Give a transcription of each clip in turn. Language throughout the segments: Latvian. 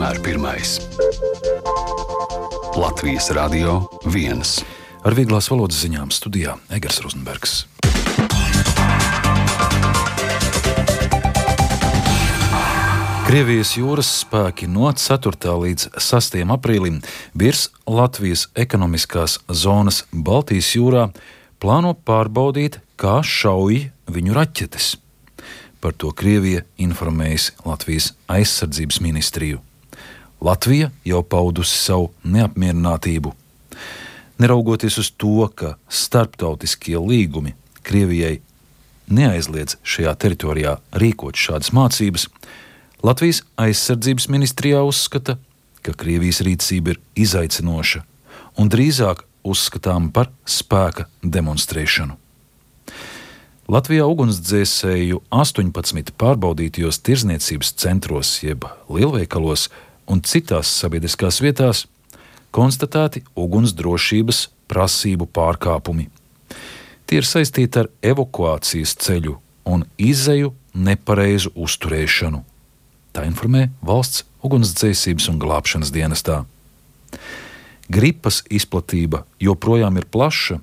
vienmēr pirmais. Latvijas Radio 1. Ar vieglās valodas ziņām studijā Egers Rozenbergs. Krievijas jūras spēki no 4. līdz 6. aprīlim virs Latvijas ekonomiskās zonas Baltijas jūrā plāno pārbaudīt, kā šauj viņu raķetes. Par to Krievija informējusi Latvijas aizsardzības ministriju. Latvija jau paudusi savu neapmierinātību. Neraugoties uz to, ka starptautiskie līgumi Krievijai neaizliedz šajā teritorijā rīkot šādas mācības, Latvijas aizsardzības ministrijā uzskata, ka Krievijas rīcība ir izaicinoša un drīzāk uzskatām par spēka demonstrēšanu. Latvijā ugunsdzēsēju 18 pārbaudītajos tirdzniecības centros jeb lielveikalos un citās sabiedriskās vietās konstatēti ugunsdrošības prasību pārkāpumi. Tie ir saistīti ar evakuācijas ceļu un izeju nepareizu uzturēšanu. Tā informē Valsts ugunsdzēsības un glābšanas dienestā. Gripas izplatība joprojām ir plaša,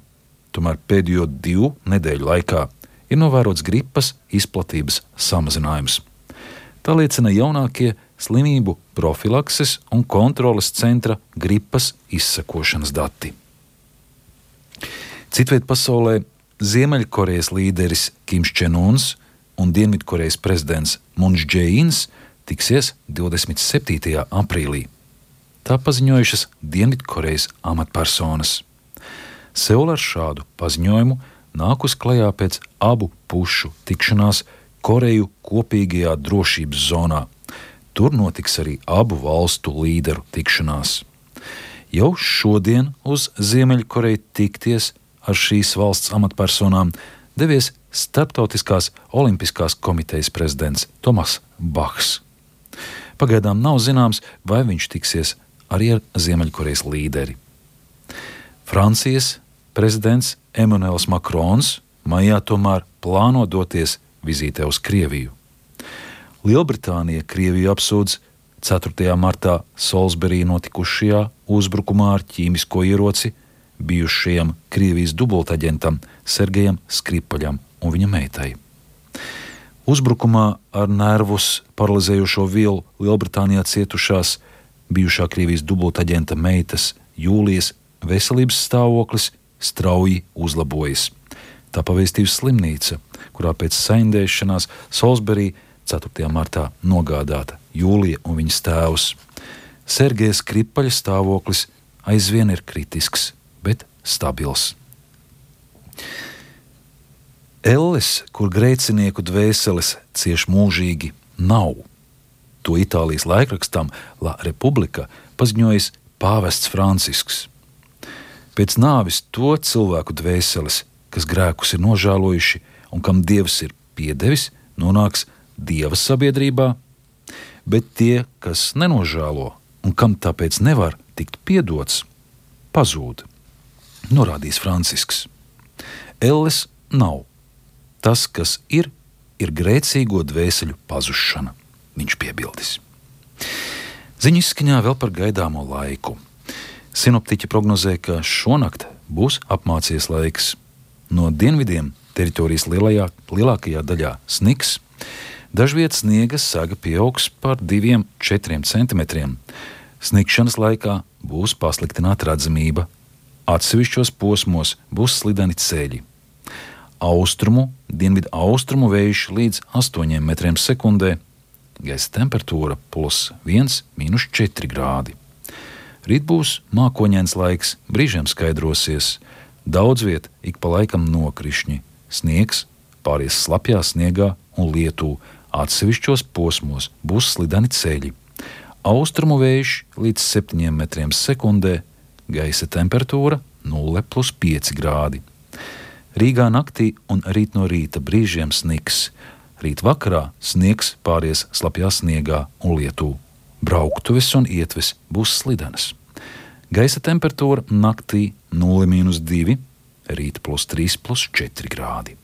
tomēr pēdējo 2 nedēļu laikā ir novērots gripas izplatības samazinājums. Tā liecina jaunākie slimību profilakses un kontroles centra gripas izsekošanas dati. Citviet pasaulē Ziemeļkorejas līderis Kims Čen Uns un Dienvidkorejas prezidents Muns Džeīns tiksies 27. aprīlī. Tā paziņojušas Dienvidkorejas amatpersonas. Seula ar šādu paziņojumu nākus klajā pēc abu pušu tikšanās Koreju kopīgajā drošības zonā. Tur notiks arī abu valstu līderu tikšanās. Jau šodien uz Ziemeļkoreju tikties ar šīs valsts amatpersonām devies Starptautiskās olimpiskās komitejas prezidents Tomas Bahs. Pagaidām nav zināms, vai viņš tiksies arī ar Ziemeļkorejas līderi. Francijas prezidents Emmanuels Macrons maijā tomēr plāno doties vizītē uz Krieviju. Lielbritānija Krieviju apsūdz 4. martā Salisburī notikušajā uzbrukumā ar ķīmisko ieroci bijušajam Krievijas dubultaģentam Sergejam Skripaļam un viņa meitai. Uzbrukumā ar nervus paralizējošo vielu Lielbritānijā cietušās bijušā Krievijas dubultaģenta meitas Jūlijas veselības stāvoklis strauji uzlabojas. Tā pavēstījusi slimnīca, kurā pēc saindēšanās Salisburī 4. martā nogādāta Jūlija un viņas tēvs. Sergeja Skripaļa stāvoklis aizvien ir kritisks, bet stabils. Elles, kur grēcinieku dvēseles cieš mūžīgi, nav. To Itālijas laikrakstam La Repubblica paziņojis pāvests Francisks. Pēc nāvis to cilvēku dvēseles, kas grēkus ir nožēlojuši un kam Dievs ir piedevis, nonāks Dieva sabiedrībā, bet tie, kas nenožēlo un kam tāpēc nevar tikt piedots, pazūd, norādījis Francisks. Elles nav. Tas, kas ir grēcīgo dvēseļu pazušana, viņš piebildis. Ziņu izskaņā vēl par gaidāmo laiku. Sinoptiķi prognozē, ka šonakt būs apmācies laiks. No dienvidiem teritorijas lielākajā daļā sniks, dažviet sniega saga pieaugs par 2–4 centimetriem. Snikšanas laikā būs pasliktināta redzamība. Atsevišķos posmos būs slideni ceļi. Austrumu, dienvidu austrumu vējš līdz 8 metriem sekundē, gaisa temperatūra +1, -4 grādi. Rīt būs mākoņains laiks, brīžiem skaidrosies, daudz viet ik pa laikam nokrišņi, sniegs pāries slapjā sniegā un lietū, atsevišķos posmos būs slideni ceļi. Austrumu vējš līdz 7 metriem sekundē, gaisa temperatūra 0+5 grādi. Rīgā naktī un rīt no rīta brīžiem sniks. Rīt vakarā sniegs pāries slapjā sniegā un lietū. Brauktuves un ietves būs slidenas. Gaisa temperatūra naktī 0–2, rīt +3+4 grādi.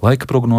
Laika prognoze